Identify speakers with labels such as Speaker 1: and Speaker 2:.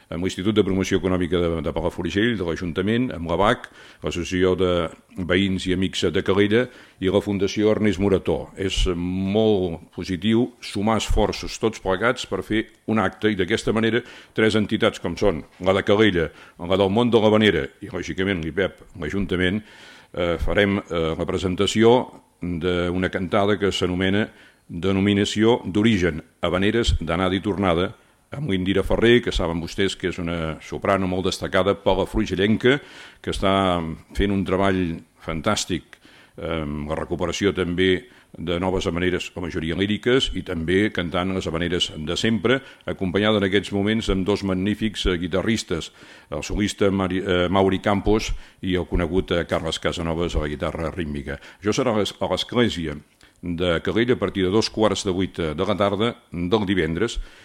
Speaker 1: amb l'Institut de Promoció Econòmica de Palafrugell, de l'Ajuntament, amb l'ABAC, l'Associació de Veïns i Amics de Calella i la Fundació Ernest Morató. És molt positiu sumar esforços tots plegats per fer un acte i d'aquesta manera 3 entitats com són la de Calella, la del món de l'Havanera i lògicament l'IPEP, l'Ajuntament, farem la presentació d'una cantada que s'anomena Denominació d'origen Havaneres d'anada i tornada, amb l'Indira Ferrer, que saben vostès que és una soprano molt destacada palafrugellenca, que està fent un treball fantàstic amb la recuperació també de noves havaneres, la majoria líriques, i també cantant les havaneres de sempre, acompanyada en aquests moments amb 2 magnífics guitarristes, el solista Mauri Campos i el conegut Carles Casanovas a la guitarra rítmica. Això serà a l'església de Calella a partir de 7:15 de la tarda del divendres,